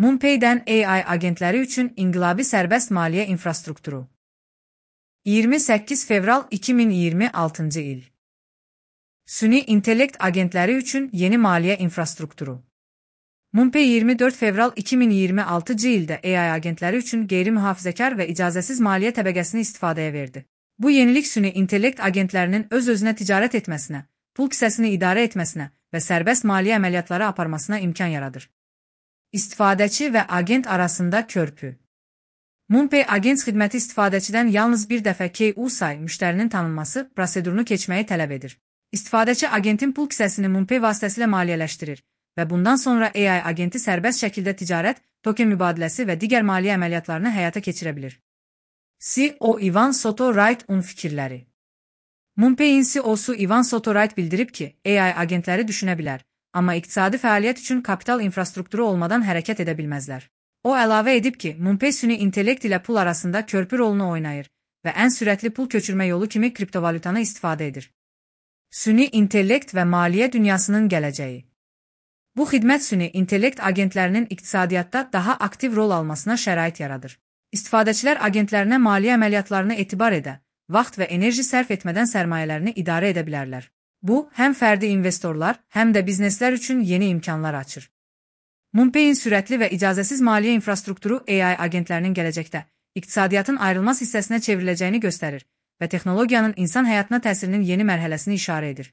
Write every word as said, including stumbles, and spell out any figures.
MoonPay'dən A I agentləri üçün inqilabi sərbəst maliyyə infrastrukturu. iyirmi səkkiz fevral iki min iyirmi altıncı il. Süni intellekt agentləri üçün yeni maliyyə infrastrukturu. MoonPay iyirmi dörd fevral iki min iyirmi altıncı ildə A I agentləri üçün qeyri-mühafizəkar və icazəsiz maliyyə təbəqəsini istifadəyə verdi. Bu yenilik süni intellekt agentlərinin öz-özünə ticarət etməsinə, pul kisəsini idarə etməsinə və sərbəst maliyyə əməliyyatları aparmasına imkan yaradır. İstifadəçi və agent arasında körpü. MoonPay agent xidməti istifadəçidən yalnız bir dəfə K U S A I müştərinin tanınması prosedurunu keçməyi tələb edir. İstifadəçi agentin pul kisəsini MoonPay vasitəsilə maliyyələşdirir və bundan sonra A I agenti sərbəst şəkildə ticarət, token mübadiləsi və digər maliyyə əməliyyatlarını həyata keçirə bilir. C E O Ivan Soto-Wright-un fikirləri. MoonPay'in C E O'su Ivan Soto-Wright bildirib ki, A I agentləri düşünə bilər, amma iqtisadi fəaliyyət üçün kapital infrastrukturu olmadan hərəkət edə bilməzlər. O əlavə edib ki, MoonPay süni intellekt ilə pul arasında körpü rolunu oynayır və ən sürətli pul köçürmə yolu kimi kriptovalyutanı istifadə edir. Süni intellekt və maliyyə dünyasının gələcəyi. Bu xidmət süni intellekt agentlərinin iqtisadiyyatda daha aktiv rol almasına şərait yaradır. İstifadəçilər agentlərinə maliyyə əməliyyatlarını etibar edə, vaxt və enerji sərf etmədən sərmayələrini idarə edə bilərlər. Bu, həm fərdi investorlar, həm də bizneslər üçün yeni imkanlar açır. MoonPay'in sürətli və icazəsiz maliyyə infrastrukturu A I agentlərinin gələcəkdə iqtisadiyyatın ayrılmaz hissəsinə çevriləcəyini göstərir və texnologiyanın insan həyatına təsirinin yeni mərhələsini işarə edir.